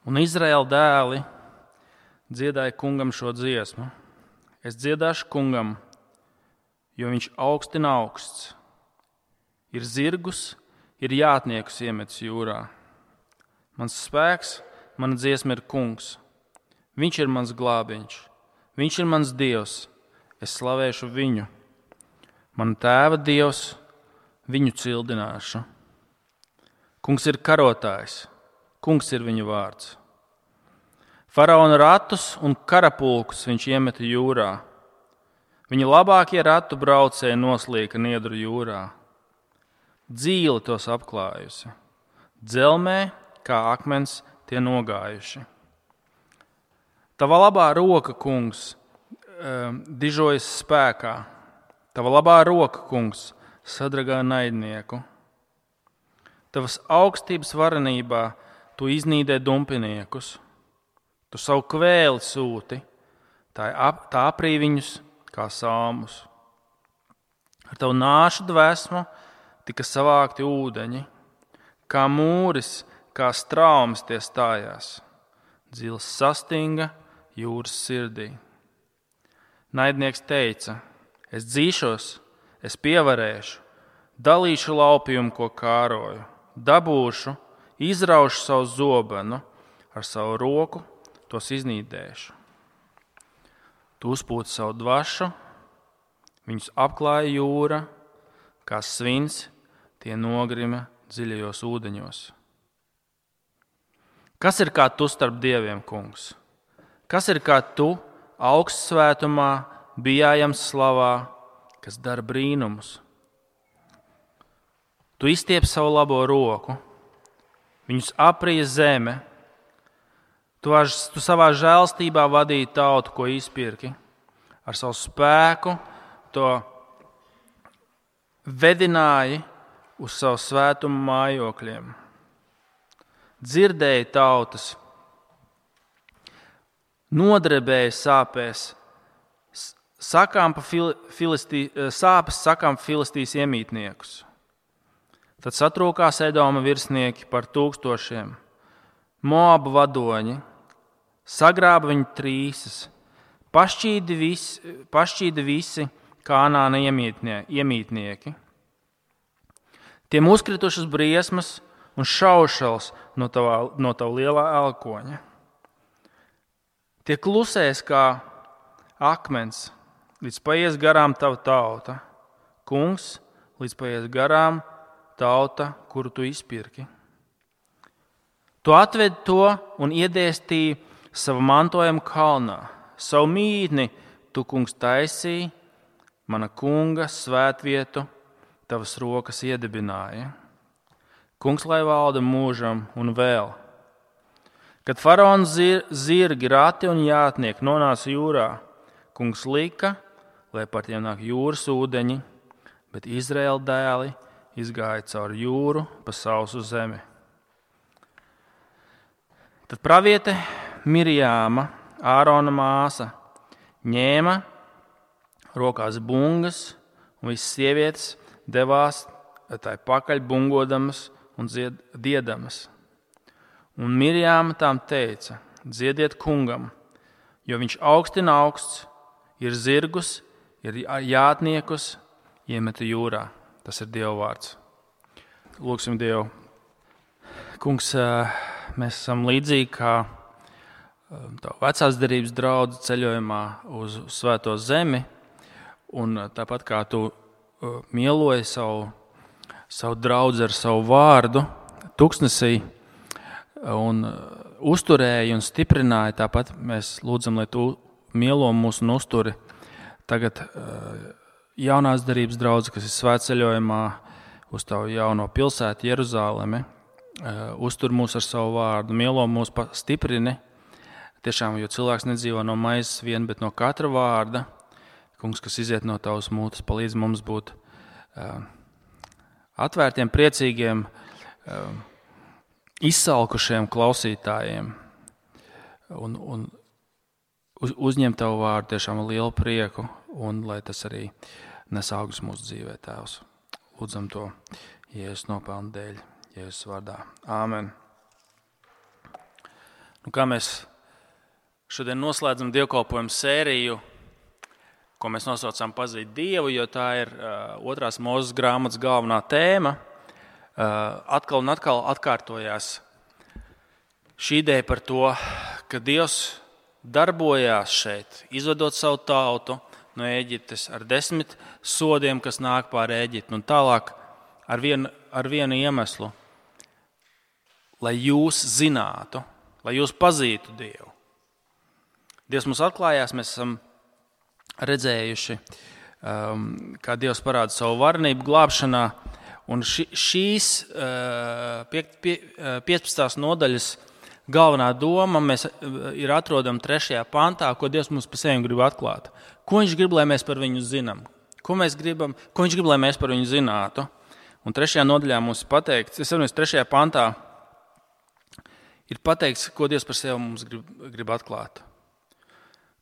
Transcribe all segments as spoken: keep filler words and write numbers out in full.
Un Izraēla dēli dziedāja kungam šo dziesmu. Es dziedāšu kungam, jo viņš augstina augsts. Ir zirgus, ir jātniekus iemetis jūrā. Mans spēks, mana dziesma ir kungs. Viņš ir mans glābiņš. Viņš ir mans dievs. Es slavēšu viņu. Mana tēva dievs, viņu cildināšu. Kungs ir karotājs. Kungs ir viņa vārds. Faraona ratus un karapulkus viņš iemeta jūrā. Viņa labākie ratu braucēji noslīka niedru jūrā. Dzīle tos apklājusi. Dzelmē, kā akmens, tie nogājuši. Tava labā roka, kungs, dižojas spēkā. Tava labā roka, kungs, sadragā naidnieku. Tavas augstības varenībā tu iznīdē dumpiniekus. Tu savu kvēli sūti, tā, ap, tā aprī viņus kā salmus. Ar tavu nāšu dvēsmu tika savākti ūdeņi, kā mūris, kā straumes tie stājās. Dzils sastinga jūras sirdī. Naidnieks teica, es dzīšos, es pievarēšu, dalīšu laupījumu, ko kāroju, dabūšu, izraušu savu zobenu, ar savu roku tos iznīdēšu. Tu uzpūti savu dvašu, viņus apklāja jūra, kā svins, tie nogrima dziļajos ūdeņos. Kas ir kā tu starp dieviem, kungs? Kas ir kā tu augstsvētumā, bijājams slavā, kas dara brīnumus? Tu izstiep savu labo roku, viņus aprija zeme. Tu, tu savā žēlstībā vadīji tautu, ko izpirki. Ar savu spēku to vedināji uz savu svētumu mājokļiem. Dzirdēji tautas, nodrebēji sāpēs, sakām pa filistī, sāpes sakām filistīs iemītniekus. Tad satrūkās Edoma virsnieki par tūkstošiem, Moabu vadoņi, sagrāba viņu trīsas, pašķīda visi, pašķīda visi Kānāna iemītnieki. Tiem uzkritušas briesmas un šaušals no tava, no tava lielā elkoņa. Tie klusēs kā akmens, līdz paies garām tava tauta. Kungs, līdz paies garām tauta, kuru tu izpirki. Tu atvedi to un iedēstīji savu mantojumu kalnā. Savu mītni tu, kungs, taisīji, mana kunga svētvietu tavas rokas iedibināja. Kungs, lai valda mūžam un vēl. Kad faraona zir, zirgi, rati un jātnieki nonāca jūrā, kungs lika, lai par tiem nāk jūras ūdeņi, bet Izraēla dēli izgāja cauri jūru pa sausu zemi. Tad praviete Mirjāma, Ārona māsa, ņēma rokās bungas, un visas sievietes devās tai pakaļ bungodamas un dzied, diedamas. Un Mirjāma tām teica, dziediet kungam, jo viņš augstina augsts, ir zirgus, ir jātniekus, iemeta jūrā. Tas ir Dieva vārds. Lūksim Dievu. Kungs, mēs esam līdzīgi kā tavu vecās derības draudzi ceļojumā uz svēto zemi, un tāpat kā tu mieloji savu, savu draudzi ar savu vārdu tuksnesī un uzturēji un stiprināji, tāpat mēs lūdzam, lai tu mielo mūs un uzturi tagad jaunās derības draudzi, kas ir svētceļojumā uz tavu jauno pilsētu Jeruzālemi. Uztur mūs ar savu vārdu, mielo mūs, stiprini. Tiešām, jo cilvēks nedzīvo no maizes vien, bet no katra vārda. Kungs, kas iziet no tavas mutes, palīdz mums būt uh, atvērtiem, priecīgiem, uh, izsalkušiem klausītājiem un, un uz, uzņemt tavu vārdu tiešām ar lielu prieku, un lai tas arī nes augus mūsu dzīvē, Tēvs. Lūdzam to Jēzus nopelnu dēļ. Jēzus vārdā. Āmen. Un kā mēs šodien noslēdzam dievkalpojumu sēriju, ko mēs nosaucām Pazīt Dievu, jo tā ir uh, otrās Mūzes grāmatas galvenā tēma, uh, atkal un atkal atkārtojās šī ideja par to, ka Dievs darbojās šeit, izvedot savu tautu no Ēģiptes ar desmit sodiem, kas nāk pār Ēģipti, un tālāk ar vienu, ar vienu iemeslu, lai jūs zinātu, lai jūs pazītu Dievu. Dievs mums atklājās, mēs esam redzējuši, um, kā Dievs parāda savu varenību glābšanā, un ši, šīs uh, pie, pie, piecpadsmitās nodaļas galvenā doma mēs ir atrodama trešajā pantā, ko Dievs mums pa sevi grib atklāt. Ko viņš grib, lai mēs par viņu zinām? Ko, mēs gribam, ko viņš grib, lai mēs par viņu zinātu? Un trešajā nodaļā mums ir pateikts, es saprotu, trešajā pantā ir pateikts, ko Dievs par sevi mums grib, grib atklāt.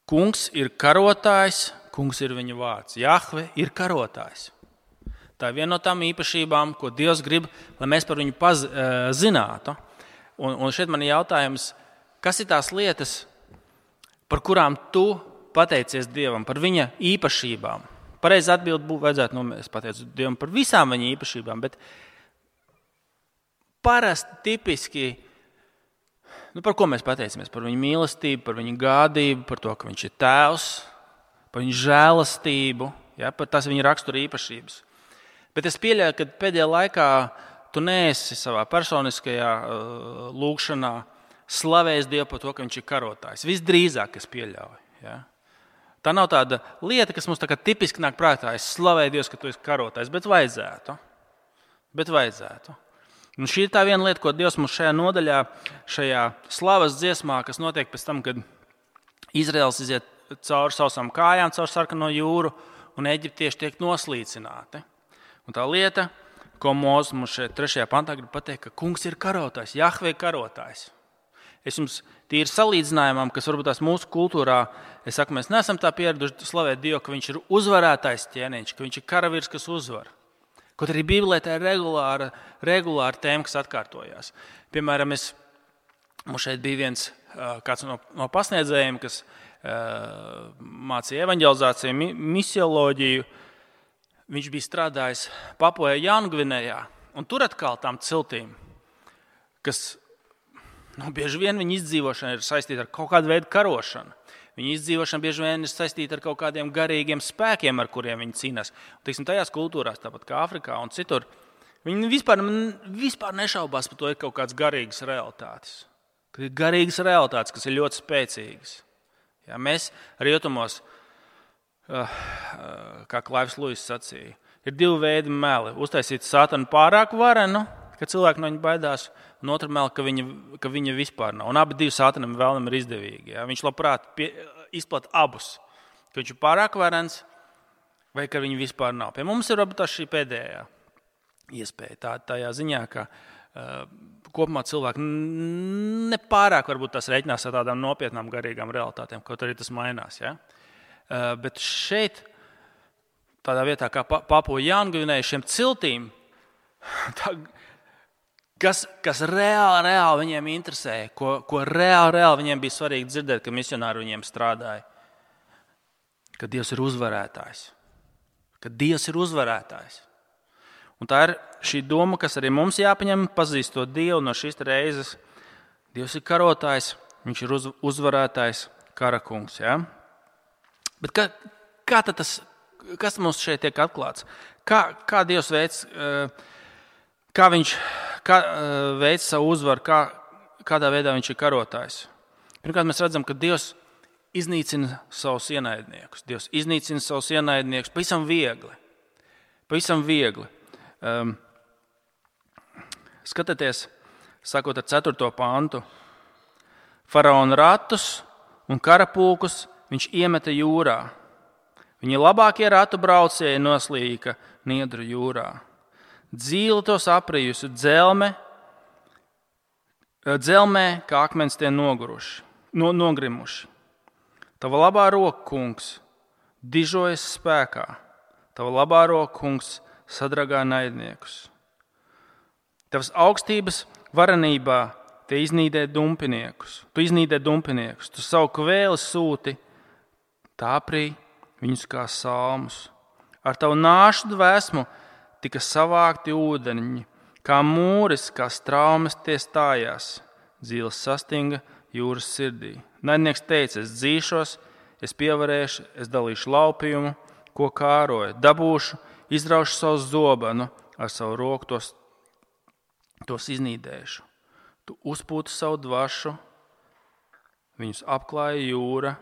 Kungs ir karotājs, kungs ir viņa vārds. Jahve ir karotājs. Tā ir viena no tām īpašībām, ko Dievs grib, lai mēs par viņu paz, uh, zinātu. Un, un šeit man ir jautājums, kas ir tās lietas, par kurām tu pateicies Dievam, par viņa īpašībām? Pareizi atbild būtu vajadzētu, nu, es pateicu Dievam par visām viņa īpašībām, bet parasti, tipiski, nu, par ko mēs pateicamies? Par viņa mīlestību, par viņa gādību, par to, ka viņš ir tēvs, par viņa žēlastību, ja, par tās viņa rakstura īpašības. Bet es pieļauju, ka pēdējā laikā tu neesi savā personiskajā uh, lūgšanā slavējis Dievu par to, ka viņš ir karotājs. Visdrīzāk es pieļauju. Ja. Tā nav tāda lieta, kas mums tā kā tipiski nāk prātā. Es slavēju Dievu, ka tu esi karotājs, bet vajadzētu. Bet vajadzētu. Un šī ir tā viena lieta, ko Dievs mums šajā nodaļā, šajā slavas dziesmā, kas notiek pēc tam, kad Izraels iziet cauri sausām kājām, cauri sarkano jūru, un eģiptieši tiek noslīcināti. Un tā lieta, ko Mūzes mums šeit trešajā pantā grib pateikt, ka kungs ir karotājs, Jahve ir karotājs. Es jums tīri salīdzinājumam, kas varbūt tās mūsu kultūrā, es saku, mēs neesam tā pieraduši slavēt Dievu, ka viņš ir uzvarētājs ķēniņš, ka viņš ir karavīrs, kas uzvar. Kaut arī Bībelē tā ir regulāra, regulāra tēma, kas atkārtojās. Piemēram, es, mums šeit bija viens kāds no, no pasniedzējiem, kas uh, mācīja evaņģelizāciju, mi, misioloģiju. Viņš bija strādājis Papua Jaungvinejā, un tur atkal tām ciltīm, kas nu, bieži vien viņa izdzīvošana ir saistīta ar kaut kādu veidu karošanu. Viņa izdzīvošana bieži vien ir saistīta ar kaut kādiem garīgiem spēkiem, ar kuriem viņi cīnās. Tiksim, tajās kultūrās, tāpat kā Afrikā un citur, viņi vispār, vispār nešaubās par to, ir kaut kādas garīgas realitātes. Ka ir garīgas realitātes, kas ir ļoti spēcīgas. Ja, mēs rietumos, kā Klaivs Luis sacīja, ir divi veidi meli. Uztaisīt satanu pārāk varenu, ka cilvēki no viņa baidās, un otra meli, ka viņa, ka viņa vispār nav. Un abi divi satanam vēlam ir izdevīgi. Ja? Viņš labprāt pie, izplat abus, ka viņš ir pārāk varens vai ka viņa vispār nav. Pie mums ir varbūt šī pēdējā iespēja. Tā, tajā ziņā, ka uh, kopumā cilvēki nepārāk varbūt tās reiķinās ar tādām nopietnām garīgām realitātēm, kaut arī tas mainās. Ja? Uh, bet šeit, tādā vietā kā Papua Jaungvinejā, šiem ciltīm, tā, Kas, kas reāli, reāli viņiem interesēja, ko, ko reāli, reāli viņiem bija svarīgi dzirdēt, ka misionāri viņiem strādāja. Ka Dievs ir uzvarētājs. Ka Dievs ir uzvarētājs. Un tā ir šī doma, kas arī mums jāpaņem, pazīstot Dievu no šīs reizes. Dievs ir karotājs, viņš ir uz, uzvarētājs, karakungs. Ja? Bet kā, kā tad tas, kas mums šeit tiek atklāts? Kā, kā Dievs veids... Uh, Kā viņš kā, veic savu uzvaru, kā, kādā veidā viņš ir karotājs. Pirmkārt, mēs redzam, ka Dievs iznīcina savus ienaidniekus. Dievs iznīcina savus ienaidniekus pavisam viegli. Pavisam viegli. Um, skatieties, sakot ar ceturto pantu. Faraona ratus un karapulkus viņš iemeta jūrā. Viņa labākie ratu braucēji noslīka Niedru jūrā. Dzīle tos aprijusi, dzelme, dzelmē, kā akmens tie noguruši, no, nogrimuši. Tava labā roka, kungs, dižojas spēkā. Tava labā roka, kungs, sadragā naidniekus. Tavas augstības varenībā tie iznīdē dumpiniekus. Tu iznīdē dumpiniekus. Tu savu kvēli sūti, tāprī viņus kā salmus. Ar tavu nāšu dvēsmu tika savākti ūdeņi, kā mūris, kā straumes tie stājās. Dzīles sastinga jūras sirdī. Naidnieks teica, es dzīšos, es pievarēšu, es dalīšu laupījumu, ko kāroju, dabūšu, izraušu savu zobenu, ar savu roku tos, tos iznīdēšu. Tu uzpūti savu dvašu, viņus apklāja jūra,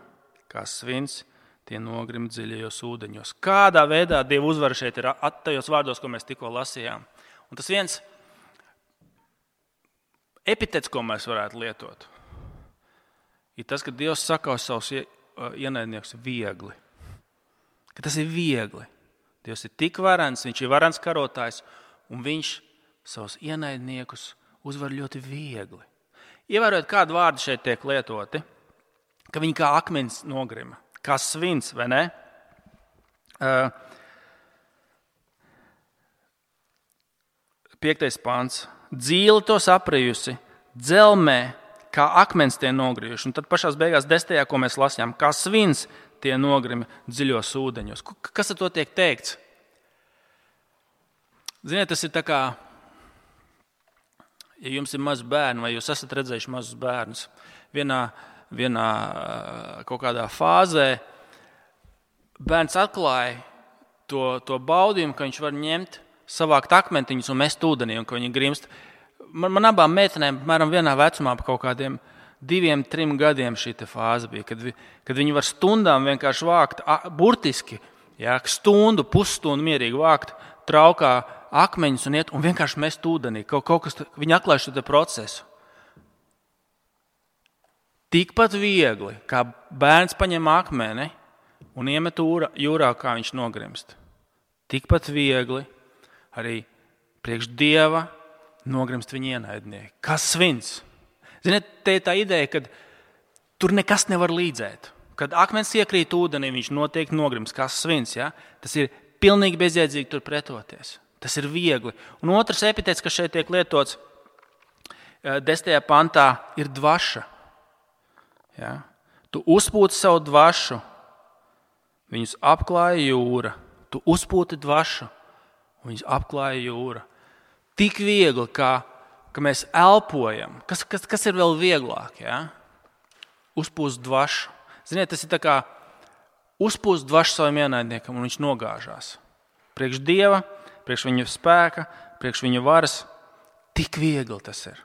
kā svins, tie nogrim dziļajos ūdeņos. Kādā veidā Dieva uzvara šeit ir tajos vārdos, ko mēs tikko lasījām. Un tas viens epitets, ko mēs varētu lietot, ir tas, ka Dievs saka uz savus ienaidniekus viegli. Ka tas ir viegli. Dievs ir tik varens, viņš ir varens karotājs, un viņš savus ienaidniekus uzvar ļoti viegli. Ievērojot, kādu vārdu šeit tiek lietoti, ka viņi kā akmens nogrima, kā svins, vai ne? Uh, piektais pants. Dzīle tos aprejusi, dzelmē, kā akmens tie nogrijuši. Un tad pašās beigās desmitajā, ko mēs lasījām, kā svins tie nogrimi dziļos ūdeņos. Kas ar to tiek teikts? Ziniet, tas ir tā kā, ja jums ir mazi bērni, vai jūs esat redzējuši mazus bērnus, vienā, vienā kaut kādā fāzē bērns atklāja to, to baudījumu, ka viņš var ņemt, savākt akmentiņus un mest ūdenī, un ka viņi grimst. Man, man abām meitenēm, mēram vienā vecumā, pa kaut kādiem diviem, trim gadiem šī fāze bija, kad, vi, kad viņi var stundām vienkārši vākt, burtiski, jā, stundu, pusstundu mierīgi vākt traukā akmeņus un iet un vienkārši mest ūdenī. Kaut, kaut kas, viņi atklāja šo procesu. Tikpat viegli, kā bērns paņem akmeni un iemet jūrā, kā viņš nogrimst. Tikpat viegli arī priekš Dieva nogrimst viņa ienaidnieki. Kas svins? Ziniet, te ir tā ideja, ka tur nekas nevar līdzēt. Kad akmens iekrīt ūdenī, viņš noteikti nogrimst. Kas svins? Ja? Tas ir pilnīgi bezjēdzīgi tur pretoties. Tas ir viegli. Un otrs epitets, kas šeit tiek lietots desmitajā pantā, ir dvaša. Ja? Tu uzpūti savu dvašu, viņus apklāja jūra. Tu uzpūti dvašu, viņus apklāja jūra. Tik viegli, kā, ka mēs elpojam. Kas, kas, kas ir vēl vieglāk? Ja? Uzpūst dvašu. Ziniet, tas ir tā kā uzpūst dvašu savam ienaidniekam, un viņš nogāžās. Priekš Dieva, priekš viņa spēka, priekš viņa varas. Tik viegli tas ir.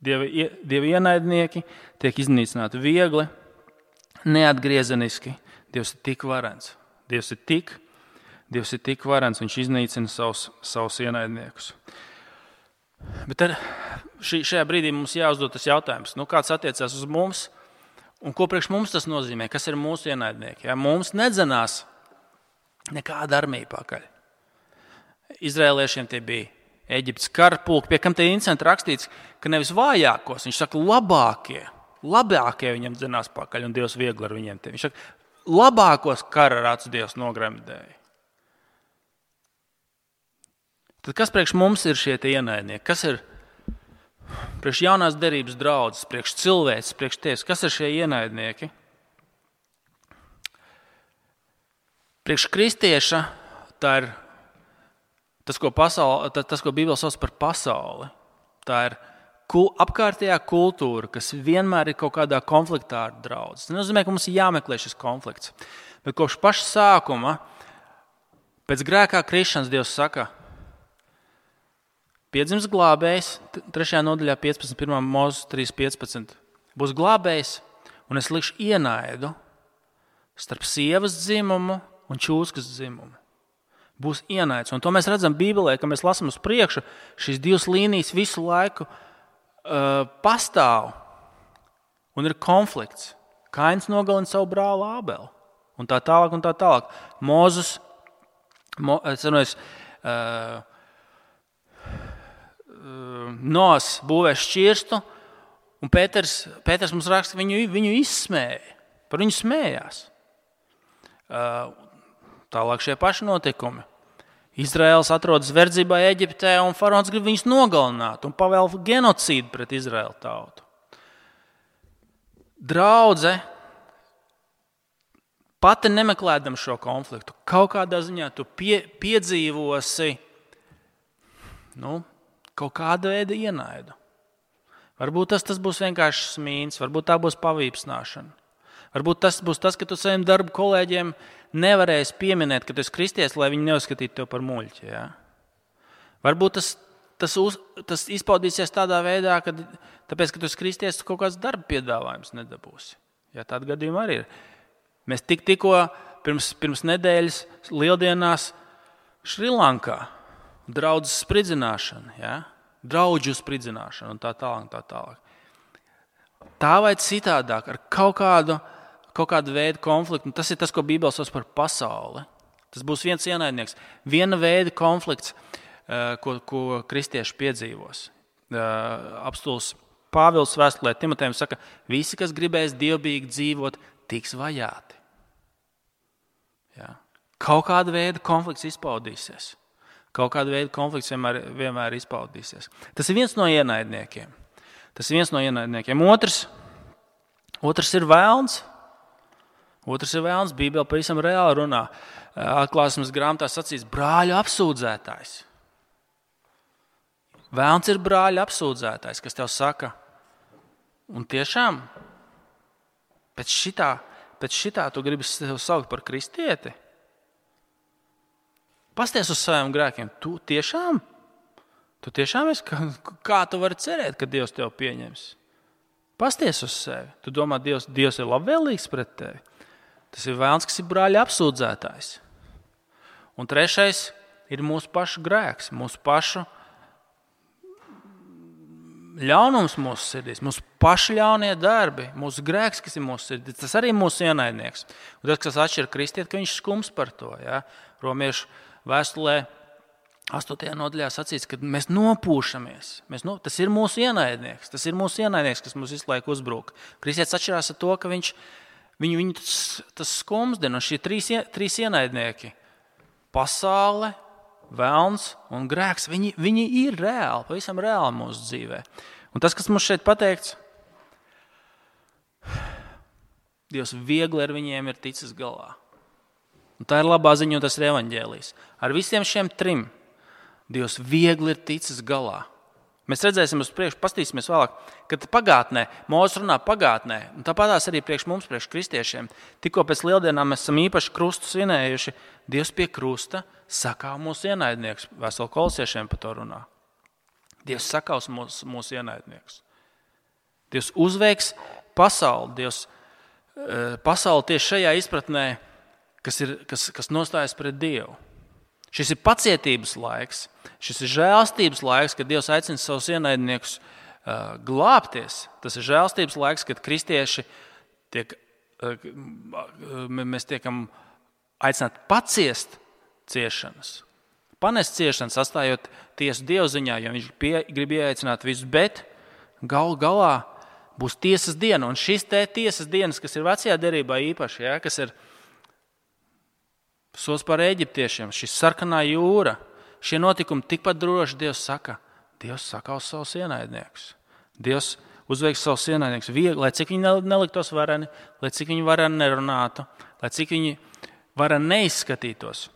Dieva, Dieva ienaidnieki tiek iznīcināti viegli, neatgriezeniski. Dievs ir tik varens. Dievs ir tik Dievs ir tik varens, viņš iznīcina savus, savus ienaidniekus. Bet ar šī, šajā brīdī mums jāuzdod tas jautājums, nu, kāds attiecās uz mums un ko priekš mums tas nozīmē, kas ir mūsu ienaidnieki. Ja? Mums nedzenās nekāda armija pakaļ. Izraēliešiem tie bija Eģiptes karapulki, pie kam tie incidenti rakstīts, ka nevis vājākos, viņš saka labākie, labākie viņam dzenās pakaļ un Dievs viegli ar viņiem. Tie. Viņš saka, labākos kara rāts Dievs nogremdēja. Tad kas priekš mums ir šie ienaidnieki? Kas ir priekš jaunās derības draudzes, priekš cilvēks, priekš tevis? Kas ir šie ienaidnieki? Priekš kristieša tā ir tas, ko, pasauli, tas, ko Bībele sauc par pasauli. Tā ir apkārtējā kultūra, kas vienmēr ir kaut kādā konfliktā ar draudzi. Tas nenozīmē, ka mums ir jāmeklē šis konflikts. Bet kopš paša sākuma, pēc grēkā krišanas, Dievs saka, piedzims glābējs, trešajā nodaļā piecpadsmit, pirmā Mūzes trīs piecpadsmit. Būs glābējs, un es likšu ienaidu starp sievas dzimumu un čūskas dzimumu. Būs ienaids, un to mēs redzam Bībelē, ka mēs lasām uz priekšu, šīs divas līnijas visu laiku uh, pastāv, un ir konflikts. Kains nogalina savu brāli Ābeli, un tā tālāk, un tā tālāk. Mūzes, mo, es runāju, uh, Noas būvē šķirstu, un Pēters, Pēters mums raksta, ka viņu, viņu izsmēja, par viņu smējās. Tālāk šie paši notikumi. Izraels atrodas verdzībā Eģiptē, un faraons grib viņus nogalināt un pavēl genocīdu pret Izraēlu tautu. Draudze, pati nemeklēdam šo konfliktu, kaut kādā ziņā tu pie, piedzīvosi nu, kaut kādu veidu ienaidu. Varbūt tas, tas būs vienkārši smīns, varbūt tā būs pavīpsnāšana. Varbūt tas būs tas, ka tu saviem darba kolēģiem nevarēsi pieminēt, ka tu esi kristietis, lai viņi neuzskatītu tev par muļķi. Ja? Varbūt tas, tas, uz, tas izpaudīsies tādā veidā, ka tāpēc, ka tu esi kristietis, tu kaut kāds darba piedāvājums nedabūsi. Ja, tāda gadījuma arī ir. Mēs tik, tikko pirms, pirms nedēļas lieldienās Šrilankā draudzes spridzināšana, ja? Draudžu spridzināšana un tā tālāk, tā tālāk. Tā vai citādāk, ar kaut kādu, kaut kādu veidu konfliktu, un tas ir tas, ko Bībele sauc par pasauli. Tas būs viens ienaidnieks, viena veida konflikts, ko, ko kristieši piedzīvos. Apostuls Pāvils vēstulē Timotejam saka, visi, kas gribēs dievbijīgi dzīvot, tiks vajāti. Ja? Kaut kāda veida konflikts izpaudīsies. Kaut kāda veida konflikts vienmēr, vienmēr izpaudīsies. Tas ir viens no ienaidniekiem. Tas ir viens no ienaidniekiem. Otrs, otrs ir vēlns. Otrs ir vēlns. Bībele pavisam reāli runā. Atklāsmes grāmatā sacīts brāļu apsūdzētājs. Vēlns ir brāļu apsūdzētājs, kas tev saka, un tiešām pēc šitā, pēc šitā tu gribi sev saukt par kristieti? Pasties uz saviem grēkiem. Tu tiešām? Tu tiešām esi? Kā tu vari cerēt, ka Dievs tev pieņems? Pasties uz sevi. Tu domā, Dievs, Dievs ir labvēlīgs pret tevi. Tas ir vēlns, kas ir brāļa apsūdzētājs. Un trešais ir mūsu pašu grēks, mūsu pašu ļaunums mūsu sirdīs, mūsu pašu ļaunie darbi, mūsu grēks, kas ir mūsu sirdīs. Tas arī ir mūsu ienaidnieks. Un tas, kas atšķir kristieti, ka viņš skums par to. Ja? Romiešu vēstulē astotajā nodaļā sacīts, ka mēs nopūšamies. Mēs no, tas ir mūsu ienaidnieks. Tas ir mūsu ienaidnieks, kas mums visu laiku uzbrūk. Kristietis atšķirās ar to, ka viņš, viņu, viņu tas, tas skumsdien, un šie trīs, trīs ienaidnieki – pasaule, velns un grēks, viņi, viņi ir reāli, pavisam reāli mūsu dzīvē. Un tas, kas mums šeit pateikts, Dievs viegli ar viņiem ir ticis galā. Un tā ir labā ziņa, un tas ir evaņģēlijs. Ar visiem šiem trim Dievs viegli ir ticis galā. Mēs redzēsim uz priekšu, pastīsimies vēlāk, kad pagātnē, Mūzes runā pagātnē, un tāpatās arī priekš mums, priekš kristiešiem, tikko pēc lieldienām mēs esam īpaši krustu svinējuši, Dievs pie krusta sakāv mūsu ienaidnieks. Vēstule Kolosiešiem par to runā. Dievs sakaus mūsu, mūsu ienaidnieks. Dievs uzveiks pasauli. Dievs pasauli tieši šajā izpratnē, kas, ir, kas, kas nostājas pret Dievu. Šis ir pacietības laiks, šis ir žēlstības laiks, kad Dievs aicina savus ienaidniekus uh, glābties. Tas ir žēlstības laiks, kad kristieši tiek, uh, mēs tiekam aicināti paciest ciešanas. Panest ciešanas, atstājot tiesu Dievziņā, jo viņš pie, grib ieaicināt visus, bet galu galā būs tiesas diena. Un šis te tiesas dienas, kas ir vecajā derībā īpaši, ja, kas ir sots par eģiptiešiem, šis sarkanā jūra, šie notikumi tikpat droši Dievs saka, Dievs sakaus savus ienaidniekus. Dievs uzveiks savus ienaidniekus viegli, lai cik viņi neliktos vareni, lai cik viņi vareni nerunātu, lai cik viņi vareni neizskatītos.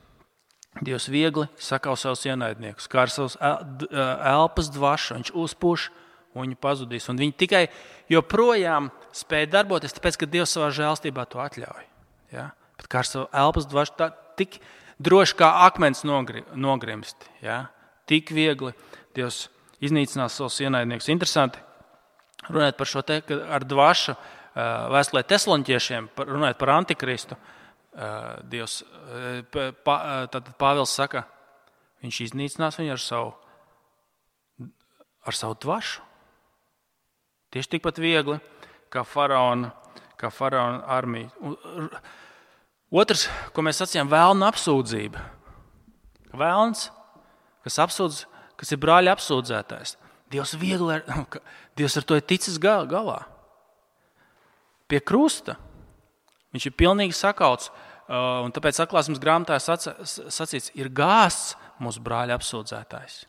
Dievs viegli sakaus savus ienaidniekus, kā ar savus elpas dvašu, viņš uzpūš un viņi pazudīs. Un viņi tikai joprojām spēja darboties, tāpēc, ka Dievs savā žēlstībā to atļauj. Ja? Bet kā ar savu elpas dvašu, tā, tik droši kā akmens nogri, nogrimst. Ja? Tik viegli Dievs iznīcinās savus ienaidniekus. Interesanti runāt par šo te, ar dvašu vēstulē Tesaloniķiešiem, runāt par antikristu. Dievs, tad Pāvils saka, viņš iznīcinās viņu ar savu, ar savu dvašu. Tieši tikpat viegli kā faraona, kā faraona armija. Otrs, ko mēs sacījām, vēlna apsūdzība. Vēlns, kas apsūdz, kas ir brāļa apsūdzētājs. Dievs viegli, ar, Dievs ar to ir ticis galā. Pie krusta viņš ir pilnīgi sakauts Un tāpēc atklāsmes grāmatā sacīts, ir gāsts mūsu brāļa apsūdzētājs.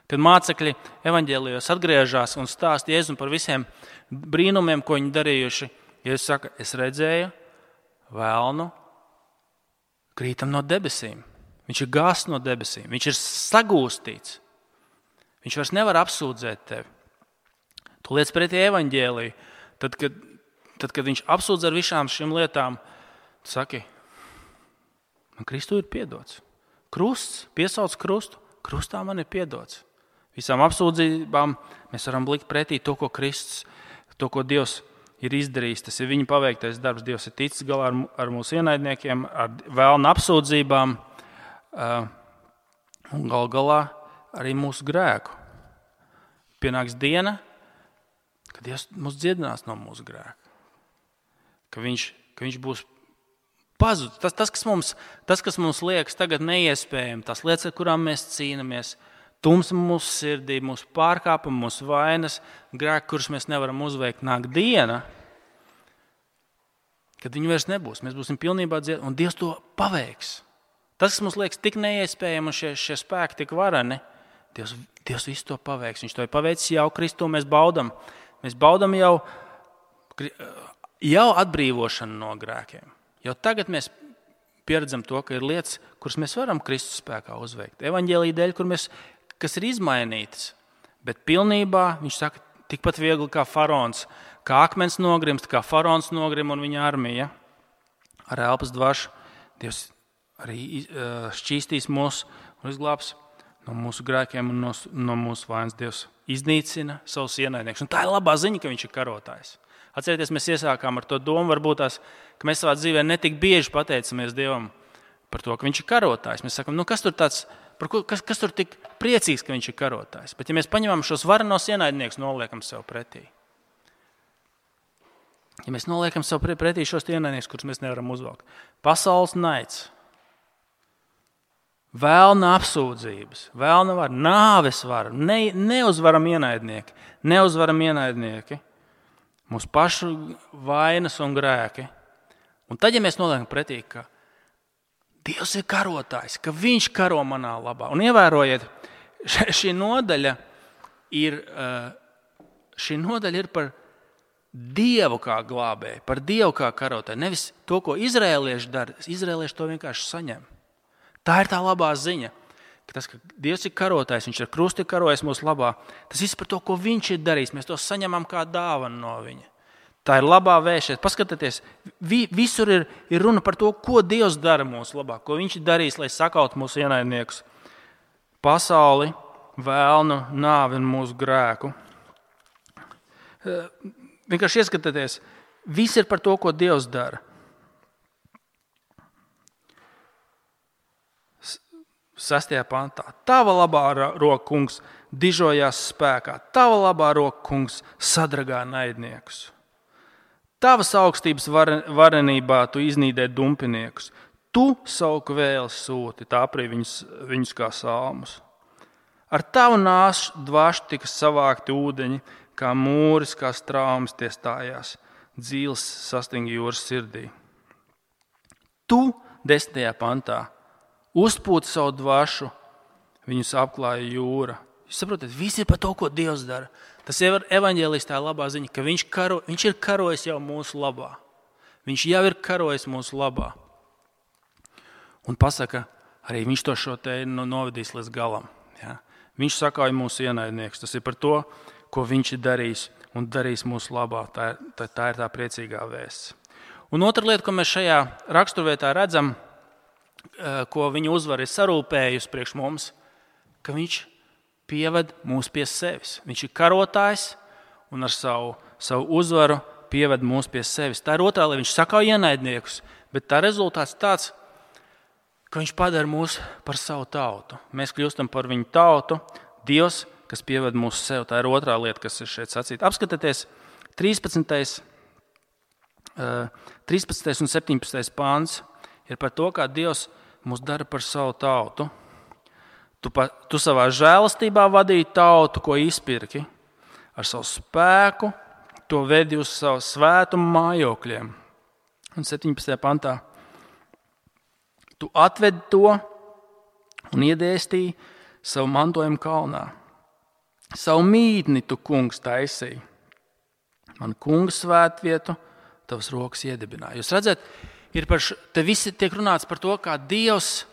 Kad mācekļi evaņģēlijos atgriežas un stāsta Jēzum par visiem brīnumiem, ko viņi darījuši, Jēzus saka, es redzēju velnu krītam no debesīm. Viņš ir gāsts no debesīm, viņš ir sagūstīts. Viņš vairs nevar apsūdzēt tevi. Tu liec pretī evaņģēliju. Tad, kad, tad, kad viņš apsūdz ar visām šīm lietām, tu saki, man Kristu ir piedots. Krusts, piesauc krustu, krustā man ir piedots. Visām apsūdzībām mēs varam blikt pretī to, ko Kristus, to, ko Dievs ir izdarījis. Tas ir viņa paveiktais darbs. Dievs ir ticis galā ar, ar mūsu ienaidniekiem, ar vēlna apsūdzībām uh, un gal galā arī mūsu grēku. Pienāks diena, kad Dievs mūs dziedinās no mūsu grēka. Ka viņš, ka viņš būs pazudis. Tas, tas, kas mums, tas, kas mums liekas tagad neiespējami, tās lietas, ar kurām mēs cīnāmies, tumsa mūsu sirdī, mūsu pārkāpumi, mūsu vainas, grēki, kurus mēs nevaram uzveikt, nāk diena, kad viņi vairs nebūs. Mēs būsim pilnībā dziedināti, un Dievs to paveiks. Tas, kas mums liekas tik neiespējami, un šie, šie spēki tik vareni, Dievs, Dievs visu to paveiks. Viņš to ir paveicis jau Kristu, mēs baudam. Mēs baudam jau, jau atbrīvošanu no grēkiem. Jau tagad mēs pieredzam to, ka ir lietas, kuras mēs varam Kristus spēkā uzveikt. Evaņģēlija dēļ, kur mēs, kas ir izmainītas. Bet pilnībā, viņš saka, tikpat viegli kā faraons, kā akmens nogrimst, kā faraons nogrim un viņa armija. Ar elpas dvašu Dievs arī šķīstīs mūs un izglābs no mūsu grēkiem un no, no mūsu vainas. Dievs iznīcina savus ienaidniekus. Un tā ir labā ziņa, ka viņš ir karotājs. Atcerieties, mēs iesākām ar to domu, varbūt tās, ka mēs savā dzīvē netik bieži pateicamies Dievam par to, ka viņš ir karotājs. Mēs sakam, nu kas tur tāds, par ko, kas, kas tur tik priecīgs, ka viņš ir karotājs. Bet ja mēs paņemam šos varenos ienaidniekus, noliekam sev pretī. Ja mēs noliekam sev pretī šos ienaidniekus, kurus mēs nevaram uzvalkt. Pasaules naids, vēlna apsūdzības, vēlna var, nāves var, ne, neuzvaram ienaidnieki, neuzvaram ienaidnieki, mūsu pašu vainas un grēki. Un tad, ja mēs noliekam pretī, ka Dievs ir karotājs, ka viņš karo manā labā. Un ievērojiet, šī nodaļa ir, šī nodaļa ir par Dievu kā glābēju, par Dievu kā karotāju. Nevis to, ko izrēlieši dara, izrēlieši to vienkārši saņem. Tā ir tā labā ziņa, ka tas, ka Dievs ir karotājs, viņš ar krustu ir karojis mūsu labā, tas viss par to, ko viņš ir darījis, mēs to saņemam kā dāvanu no viņa. Tā ir labā vēsts. Paskatieties, vi, visur ir, ir runa par to, ko Dievs dara mūsu labā, ko viņš ir darījis, lai sakautu mūsu ienaidniekus. Pasauli, vēlnu, nāvi un mūsu grēku. Vienkārši ieskatieties, viss ir par to, ko Dievs dara. Sastajā pantā. Tava labā roka, kungs, dižojās spēkā. Tava labā roka, kungs, sadragā naidniekus. Tavas augstības varenībā tu iznīdē dumpiniekus. Tu savu kvēli sūti, tā aprī viņus, viņus kā salmus. Ar tavu nāšu dvašu tika savākti ūdeņi, kā mūris, kā straumes tie stājās. Dzīles sastinga jūras sirdī. Tu, desmitajā pantā, uzpūti savu dvašu, viņus apklāja jūra. Jūs saprotat, viss ir par to, ko Dievs dara. Tas ir evaņģēlijs tā labā ziņa, ka viņš, karo, viņš ir karojis jau mūsu labā. Viņš jau ir karojis mūsu labā. Un pasaka, arī viņš to šo te novedīs līdz galam. Ja? Viņš sakauja mūsu ienaidniekus. Tas ir par to, ko viņš ir darījis un darījis mūsu labā. Tā ir tā, tā, ir tā priecīgā vēsts. Un otra lieta, ko mēs šajā raksturvietā redzam, ko viņa uzvara ir sarūpējusi priekš mums, ka viņš pieved mūs pie sevis. Viņš ir karotājs un ar savu, savu uzvaru pieved mūs pie sevis. Tā ir otrā, lai viņš sakauj ienaidniekus, bet tā rezultāts tāds, ka viņš padara mūs par savu tautu. Mēs kļūstam par viņu tautu, Dievs, kas pieved mūs sev. Tā ir otrā lieta, kas ir šeit sacīta. Apskatieties, trīspadsmitais un septiņpadsmitais pāns ir par to, kā Dievs mūs dara par savu tautu. Tu, pa, tu savā žēlastībā vadīji tautu, ko izpirki. Ar savu spēku to vedi uz savu svētumu mājokļiem. Un septiņpadsmitajā pantā Tu atvedi to un iedēstīji savu mantojumu kalnā. Savu mītni tu, kungs, taisīji. Man kunga svētvietu tavas rokas iedibināja. Jūs redzat, ir par š... te visi tiek runāts par to, kā Dievs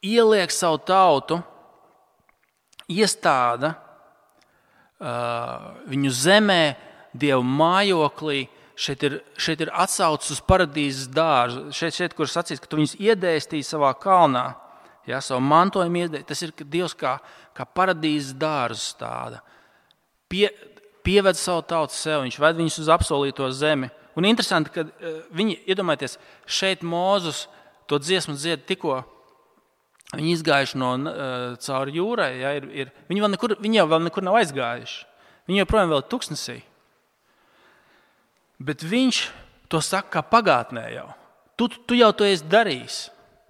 ieliek savu tautu, iestāda uh, viņu zemē, Dieva mājoklī. Šeit ir, šeit ir atsaucis uz paradīzes dārzu. Šeit, šeit kur sacīts, ka tu viņus iedēstīji savā kalnā, ja, savu mantojumu iedēstīji. Tas ir, ka Dievs kā, kā paradīzes dārzu stāda. Pie, pieved savu tautu sev, viņš ved viņus uz apsolīto zemi. Un interesanti, ka uh, viņi, iedomājieties, šeit Mūzus to dziesmu dzied tikko, viņi izgājuši no uh, cauri jūrai, ja, ir, ir, viņi, vēl nekur, viņi jau vēl nekur nav aizgājuši. Viņi joprojām vēl ir tuksnesī. Bet viņš to saka kā pagātnē jau. Tu, tu jau to esi darījis.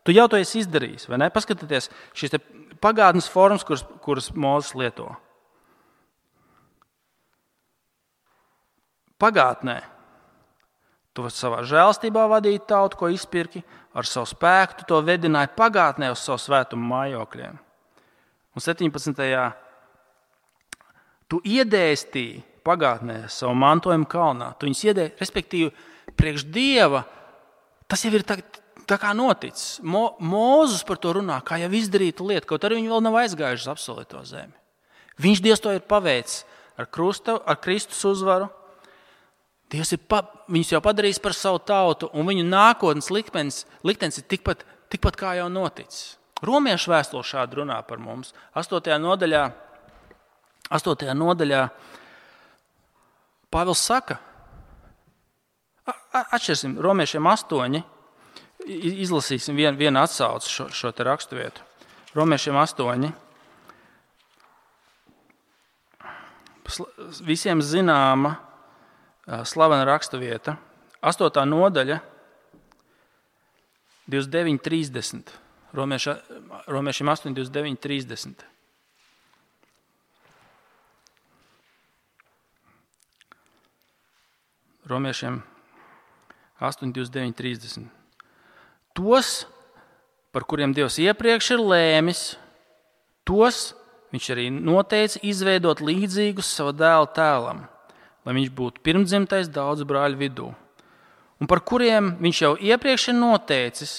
Tu jau to esi izdarījis, vai ne? Paskatieties šīs te pagātnes formas, kuras, kuras Mūzes lieto. Pagātnē tu savā žēlstībā vadīji tautu, ko izpirki, ar savu spēku tu to vedināji pagātnē uz savu svētumu mājokļiem. Un septiņpadsmitajā tu iedēstīji pagātnē savu mantojumu kalnā. Tu viņus iedēji, respektīvi, priekš Dieva, tas jau ir tā, tā kā noticis. Mo, Mūzus par to runā, kā jau izdarītu lietu, kaut arī viņi vēl nav aizgājuši uz apsolīto zemi. Viņš Dievs to ir paveicis ar, krusta, ar Kristus uzvaru. Dievs ir pa, viņus jau padarījis par savu tautu, un viņu nākotnes liktenis, liktenis ir tikpat, tikpat kā jau noticis. Romiešu vēstule šādi runā par mums. Astotajā nodaļā, astotajā nodaļā Pāvils saka, atšķirsim Romiešiem astoņi, izlasīsim vienu, vienu atsauci šo, šo te raksturvietu. Romiešiem astoņi. Visiem zināma slavena raksturvieta. Astotā nodaļa, divdesmit deviņi trīsdesmit. Romieša, Romiešiem astoņi, divdesmit deviņi trīsdesmit. Romiešiem astoņi, divdesmit deviņi trīsdesmit. Tos, par kuriem Dievs iepriekš ir lēmis, tos viņš arī noteica izveidot līdzīgus sava dēla tēlam, lai viņš būtu pirmdzimtais daudzu brāļu vidū. Un par kuriem viņš jau iepriekš ir noteicis,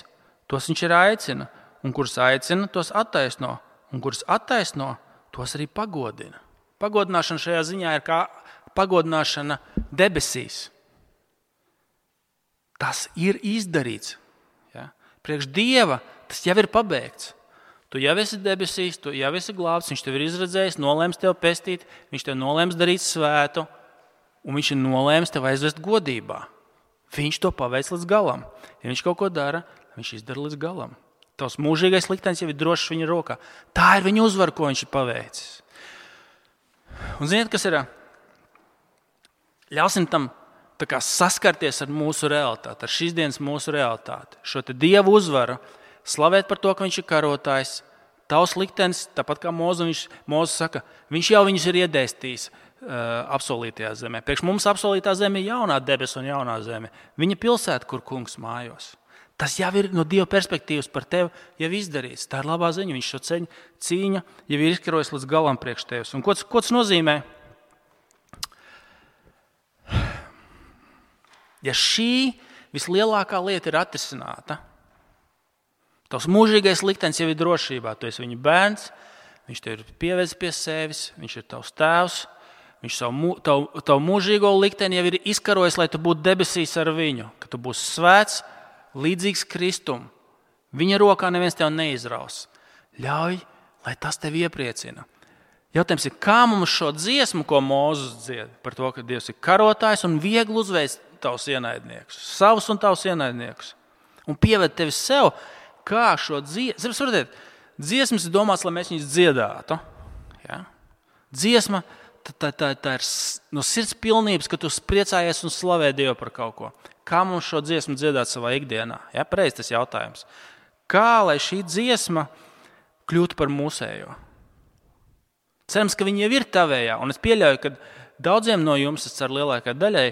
tos viņš ir aicina, un kurus aicina, tos attaisno, un kurus attaisno, tos arī pagodina. Pagodināšana šajā ziņā ir kā pagodināšana debesīs. Tas ir izdarīts. Ja? Priekš Dieva tas jau ir pabeigts. Tu jau esi debesīs, tu jau esi glābts, viņš tev ir izredzējis, nolēms tev pestīt, viņš tev nolēms darīt svētu, un viņš ir nolēms tev aizvest godībā. Viņš to paveic līdz galam. Ja viņš kaut ko dara, viņš izdara līdz galam. Tavs mūžīgais liktenis jau ir drošs viņa rokā. Tā ir viņa uzvara, ko viņš ir paveicis. Un ziniet, kas ir? Ļausim tam tā kā saskarties ar mūsu realitāti, ar šīs dienas mūsu realitāti. Šo te Dievu uzvaru, slavēt par to, ka viņš ir karotājs, tavs liktenis, tāpat kā Mūzes, Mūzes saka, viņš jau viņus ir iedēstījis uh, apsolītajā zemē. Priekš mums apsolītā zeme ir jaunā debes un jaunā zeme. Viņa pilsēta, kur kungs mājos. Tas jau ir no Dieva perspektīvas par tevi jau izdarīts. Tā ir labā ziņa, viņš šo ceļu cīņa jau ir izkarojis līdz galam priekš tevis. Un ko, ko tas nozīmē? Ja šī vislielākā lieta ir atrisināta, tavs mūžīgais liktenis jau ir drošībā, tu esi viņa bērns, viņš tev ir pievedis pie sevis, viņš ir tavs tēvs, viņš savu, tavu, tavu mūžīgo likteni jau ir izkarojis, lai tu būtu debesīs ar viņu, ka tu būsi svēts, līdzīgs Kristum. Viņa rokā neviens tev neizraus. Ļauj, lai tas tevi iepriecina. Jautājums ir, kā mums šo dziesmu, ko Mūzes dzied, par to, ka Dievs ir karotājs un viegli uzveic tavus ienaidniekus, savus un tavus ienaidniekus, un pieved tevi sev, kā šo dziesmu. Saprotiet, dziesmas ir domāts, lai mēs viņus dziedātu. Ja? Dziesma, tā, tā, tā, tā ir no sirds pilnības, ka tu priecājies un slavē Dievu par kaut ko. Kā mums šo dziesmu dziedāt savā ikdienā? Ja? Pareizi tas jautājums. Kā, lai šī dziesma kļūtu par mūsējo? Cerams, ka viņi jau ir tavējā, un es pieļauju, ka daudziem no jums, es ceru lielākai daļai,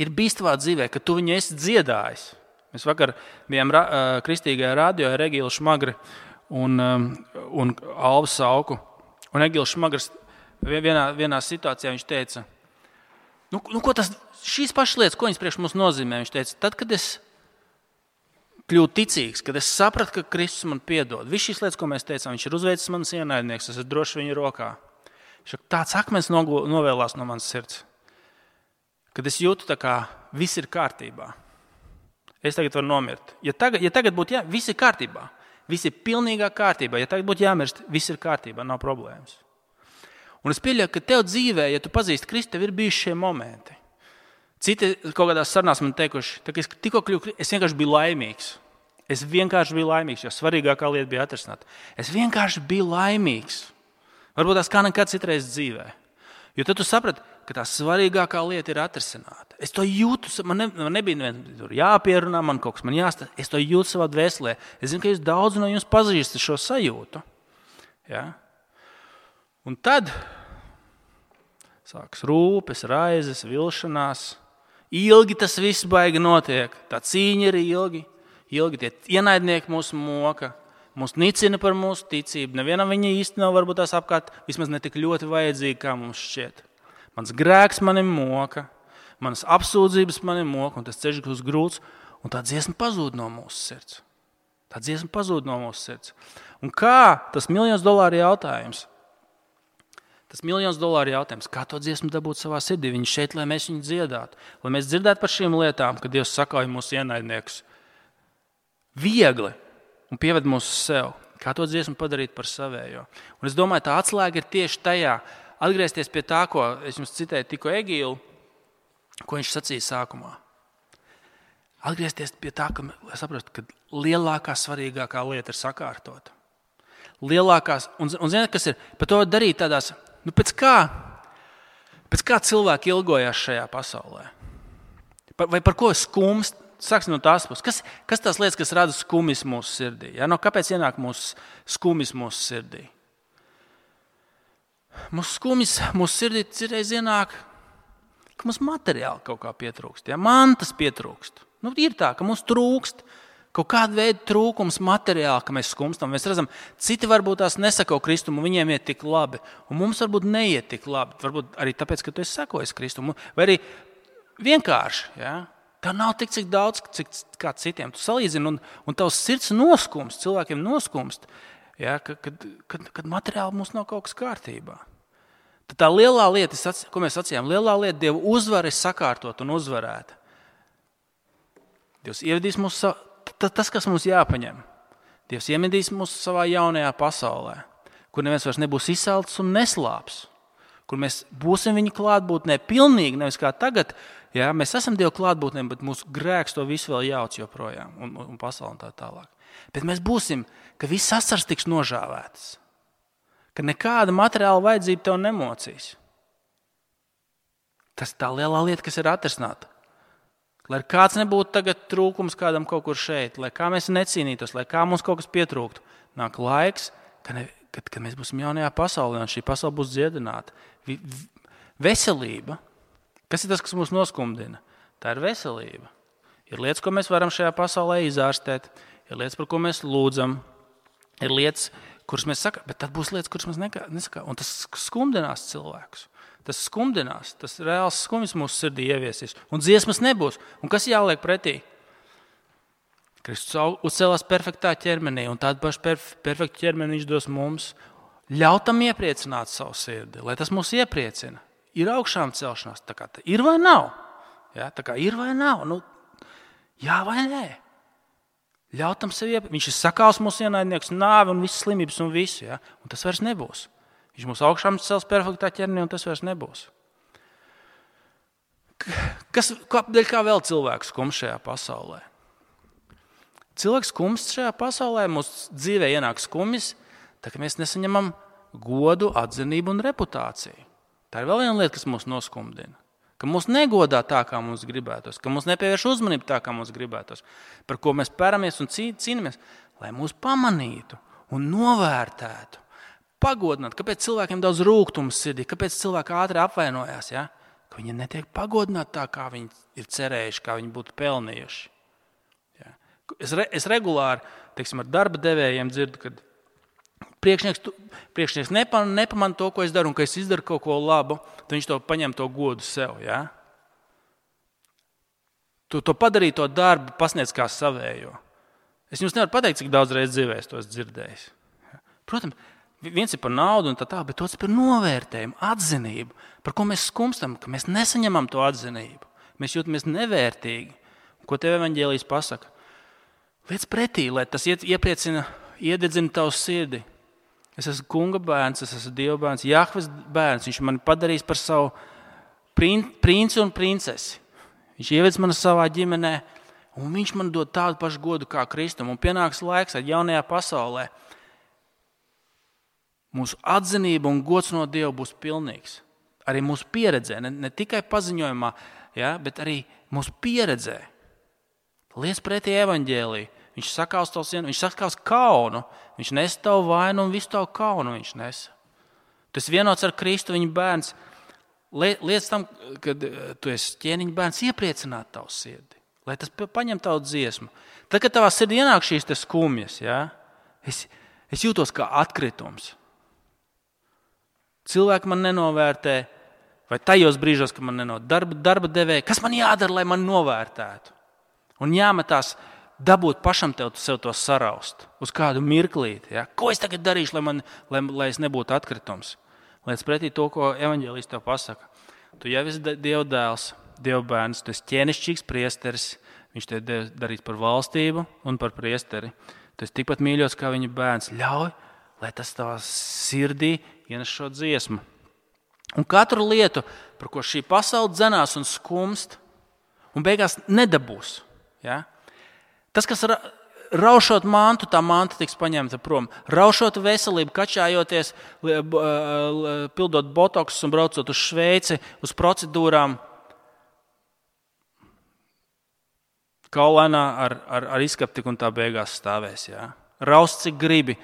ir bijis tavā dzīvē, ka tu viņu esi dziedājis. Mēs vakar bijām ra, kristīgajā radio ar Egilu Šmagri un, un Alvu Sauku. Un Egils Šmagrs vienā, vienā situācijā viņš teica, nu, nu ko tas, šīs pašas lietas, ko viņas priekš mums nozīmē? Viņš teica, tad, kad es kļūt ticīgs, kad es sapratu, ka Kristus man piedod. Viss šīs lietas, ko mēs teicām, viņš ir uzveicis manas ienaidnieks, es esmu droši viņa rokā. Tāds akmens novēlās no manas sirds, kad es jūtu, tā kā viss ir kārtībā. Es tagad varu nomirt. Ja tagad, ja tagad būtu jā, viss ir kārtībā, viss ir pilnīgā kārtībā. Ja tagad būtu jāmirst, viss ir kārtībā, nav problēmas. Un es pieļauju, ka tev dzīvē, ja tu pazīsti Kristu, tev ir bijuši šie momenti. Citi kaut kādās sarunās man teikuši, tā, ka es tikko kļuvu, es vienkārši biju laimīgs. Es vienkārši biju laimīgs, jo svarīgākā lieta bija atrisināt. Es vienkārši biju laimīgs. Varbūt tās kā nekad citreiz dzīvē. Jo tad tu saprati, ka tā svarīgākā lieta ir atrisināta. Es to jūtu, man, ne, man nebija nevien jāpierunā, man kaut kas man jāstāsta. Es to jūtu savā dvēselē. Es zinu, ka jūs daudz no jums pazīstat šo sajūtu. Ja? Un tad sāks rūpes, raizes, vilšanās. Ilgi tas viss baigi notiek. Tā cīņa ir ilgi. Ilgi tie ienaidnieki mūs moka. Mūs nicina par mūsu ticību. Nevienam viņa īsti nav varbūt tās apkārt. Vismaz ne tik ļoti vajadzīgi, kā mums šķiet. Mans grēks mani moka. Manas apsūdzības mani moka. Un tas ceļš būs grūts. Un tā dziesma pazūd no mūsu sirds. Tā dziesma pazūd no mūsu sirds. Un kā tas miljons dolāru jautājums? Tas miljons dolāru jautājums, kā to dziesmu dabūt savā sirdī? Viņi šeit, lai mēs viņu dziedātu. Lai mēs dzirdētu par šīm lietām, kad Dievs sakauj mūsu ienaidniekus. Viegli un pieved mūs uz sev. Kā to dziesmu padarīt par savējo? Un es domāju, tā atslēga ir tieši tajā. Atgriezties pie tā, ko es jums citēju tikko Egilu, ko viņš sacīja sākumā. Atgriezties pie tā, ka, lai saprastu, ka lielākā, svarīgākā lieta ir sakārtota. Lielākās, un, un zināt, kas ir, par to darīt tādās, nu pēc kā, pēc kā cilvēki ilgojās šajā pasaulē? Par, vai par ko skumst? Sāksim no tās puses. Kas, kas tās lietas, kas rada skumis mūsu sirdī? Ja? No kāpēc ienāk mūsu skumis mūsu sirdī? Mūsu skumis mūsu sirdī cirreiz ienāk, ka mums materiāli kaut kā pietrūkst. Ja? Mantas pietrūkst. Nu, ir tā, ka mums trūkst kaut kāda veida trūkums materiāli, ka mēs skumstam. Mēs redzam, citi varbūt tās nesako Kristumu, viņiem iet tik labi, un mums varbūt neiet tik labi. Varbūt arī tāpēc, ka tu esi sakojis Kristumu. Vai arī vienkārši, ja? Tev nav tik cik daudz, cik kā citiem. Tu salīdzini, un, un tavs sirds noskumst, cilvēkiem noskumst, ja? kad, kad, kad materiāli mums nav kaut kas kārtībā. Tad tā lielā lieta, ko mēs sacījām, lielā lieta Dieva uzvara ir sakārtot un uzvarēta. Dievs ievedīs mūs, tas, kas mums jāpaņem. Dievs iemedīs mūs savā jaunajā pasaulē, kur neviens vairs nebūs izsalts un neslāps, kur mēs būsim viņa klātbūtnē pilnīgi, nevis kā tagad. Jā, mēs esam Dieva klātbūtnē, bet mūsu grēks to visu vēl jauc joprojām un, un pasauli un tā tālāk. Bet mēs būsim, ka viss asars tiks nožāvētas, ka nekāda materiāla vajadzība tev nemocīs. Tas ir tā lielā lieta, kas ir atrisināta. Lai kāds nebūtu tagad trūkums kādam kaut kur šeit, lai kā mēs necīnītos, lai kā mums kaut kas pietrūktu, nāk laiks, kad, ne, kad, kad mēs būsim jaunajā pasaulē un šī pasaule būs dziedināta. Veselība. Kas ir tas, kas mūs noskumdina? Tā ir veselība. Ir lietas, ko mēs varam šajā pasaulē izārstēt, ir lietas, par ko mēs lūdzam, ir lietas, kuras mēs sakām, bet tad būs lietas, kuras mēs nesakām. Un tas skumdinās cilvēkus. Tas skumdinās, tas reāls skums mūsu sirdī ieviesīs. Un dziesmas nebūs. Un kas jāliek pretī? Kristus uzcēlās perfektā ķermenī, un tādu pašu perf- perfektu ķermeni viņš dos mums. Ļautam iepriecināt savu sirdi, lai tas mūs iepriecina. Ir augšām celšanās, tā kā tā ir vai nav? Ja, tā kā ir vai nav? Nu, jā vai nē? Ļautam sev iepriecināti. Viņš ir sakāls mūsu ienaidnieks, nāvi un visas slimības un visu. Ja? Un tas vairs nebūs. Viņš mūs augšām cels perfektā ķermenī un tas vairs nebūs. Kas, kādēļ kā vēl cilvēks skums šajā pasaulē? Cilvēks skums šajā pasaulē, mūsu dzīvē ienāk skumis, tā ka mēs nesaņemam godu, atzinību un reputāciju. Tā ir vēl viena lieta, kas mūs noskumdina. Ka mūs negodā tā, kā mums gribētos, ka mūs nepievērš uzmanību tā, kā mums gribētos, par ko mēs peramies un cīnāmies, lai mūs pamanītu un novērtētu, pagodinātu. Kāpēc cilvēkiem daudz rūgtums sirdī, kāpēc cilvēki ātri apvainojās, ja? Ka viņi netiek pagodināti tā, kā viņi ir cerējuši, kā viņi būtu pelnījuši. Ja? Es, re, es regulāri, teiksim, ar darba devējiem dzirdu, kad priekšnieks, priekšnieks nepa, nepamana to, ko es daru, un ka es izdaru kaut ko labu, tad viņš to paņem to godu sev. Ja? Tu to padarīji to darbu, pasniedz kā savējo. Es jums nevaru pateikt, cik daudz reizes dzīvē es to esmu dzirdējis. Protams, viens ir par naudu un tā tā, bet otrs par novērtējumu, atzinību, par ko mēs skumstam, ka mēs nesaņemam to atzinību. Mēs jūtamies nevērtīgi. Ko tev evaņģēlijs pasaka? Liec pretī, lai tas iepriecina, iededzina tavu sirdi. Es esmu kunga bērns, es esmu Dieva bērns, Jahves bērns. Viņš mani padarīs par savu princi un princesi. Viņš ievedz mani savā ģimenē, un viņš man dod tādu pašu godu kā Kristum. Un pienāks laiks, kad jaunajā pasaulē mūsu atzinība un gods no Dieva būs pilnīgs. Arī mūsu pieredzē, ne, ne tikai paziņojumā, ja, bet arī mūsu pieredzē. Liec pretī evaņģēliju. Viņš sakaus tavu sienu, viņš sakaus kaunu. Viņš nes tavu vainu un visu tavu kaunu viņš nes. Tu esi vienots ar Kristu, viņa bērns. Liec tam, kad tu esi ķēniņa bērns, iepriecināt tavu sirdi. Lai tas paņem tavu dziesmu. Tad, kad tavā sirdī ienāk šīs te skumjas, ja, es, es jūtos kā atkritums. Cilvēki man nenovērtē, vai tajos brīžos, ka man nenovērtē darba, darba devēja, kas man jādara, lai man novērtētu? Un jāmetās dabūt pašam tev sev to saraust uz kādu mirklīti. Ja? Ko es tagad darīšu, lai, man, lai, lai es nebūtu atkritums? Liec pretī to, ko evaņģēlijs tev pasaka. Tu jau esi Dieva dēls, Dieva bērns, tu esi ķēnišķīgs priesteris, viņš tev darīs par valstību un par priesteri. Tu esi tikpat mīļots kā viņa bērns. Ļauj, lai tas tavā sirdī ienes šo dziesmu. Un katru lietu, par ko šī pasaule dzenās un skumst, un beigās nedabūs. Ja? Tas, kas ra, raušot mantu, tā manta tiks paņemta prom. Raušot veselību, kačājoties, pildot botoksus un braucot uz Šveici, uz procedūrām, kaulainā ar, ar, ar izskaptiku un tā beigās stāvēs. Ja? Raust, cik gribi,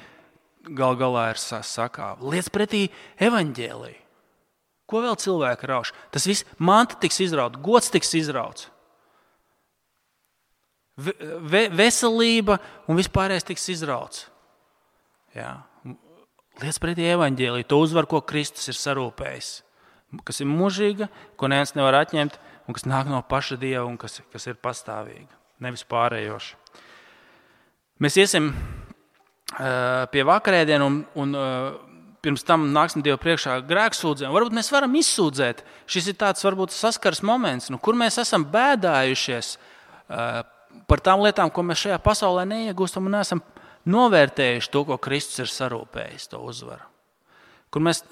gal galā ir sakāva. Liec pretī evaņģēliju. Ko vēl cilvēki rauš? Tas viss manta tiks izrauts, gods tiks izrauts. Ve, veselība un vispārējais tiks izrauts. Jā. Liec pretī evaņģēliju, to uzvar, ko Kristus ir sarūpējis, kas ir mūžīga, ko neviens nevar atņemt un kas nāk no paša Dieva un kas, kas ir pastāvīga, nevis pārējoša. Mēs iesim uh, pie vakarēdienu un, un uh, pirms tam nāksim Dievu priekšā grēksūdzēm. Varbūt mēs varam izsūdzēt. Šis ir tāds varbūt saskars moments, nu, kur mēs esam bēdājušies uh, par tām lietām, ko mēs šajā pasaulē neiegūstam un neesam novērtējuši to, ko Kristus ir sarūpējis, to uzvaru. Kur mēs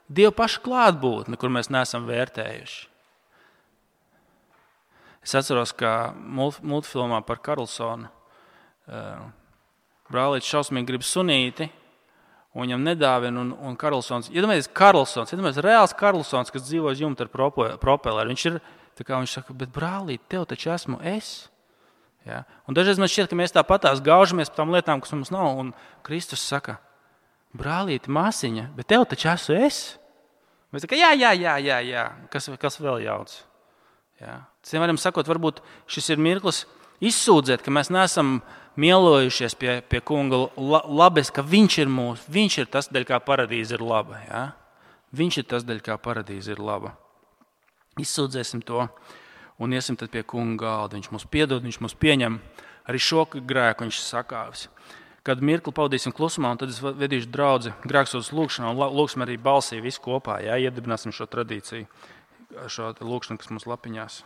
Dievu pašu klātbūtni, kur mēs neesam vērtējuši. Es atceros, ka multfilmā par Karlsonu brālītis šausmīgi grib sunīti, un viņam nedāvina, un, un Karlsons, iedomājieties, Karlsons, iedomājieties, reāls Karlsons, kas dzīvo uz jumta ar propeleru. Viņš ir, tā kā viņš saka, bet brālīt, tev taču esmu es. Ja? Un dažreiz man šķiet, ka mēs tāpatās gaužamies par tām lietām, kas mums nav, un Kristus saka, brālīti, māsiņa, bet tev taču esmu es. Mēs saka, jā, jā, jā, jā, jā, kas, kas vēl jauc. Ja? Ciem varam sakot, varbūt šis ir mirklis izsūdzēt, ka mēs neesam mielojušies pie, pie kunga labes, ka viņš ir mūsu, viņš ir tas, daļ kā paradīze ir laba. Ja? Viņš ir tas, daļ kā paradīze ir laba. Izsūdzēsim to. Un iesim tad pie kunga galda. Viņš mums piedod, viņš mums pieņem arī šo grēku, viņš sakāvis. Kad mirkli pavadīsim klusumā, un tad es vedīšu draudzi grēksūdzes lūkšanā, un lūksim arī balsī visu kopā, jā, iedibināsim šo tradīciju, šo lūkšanu, kas mums lapiņās.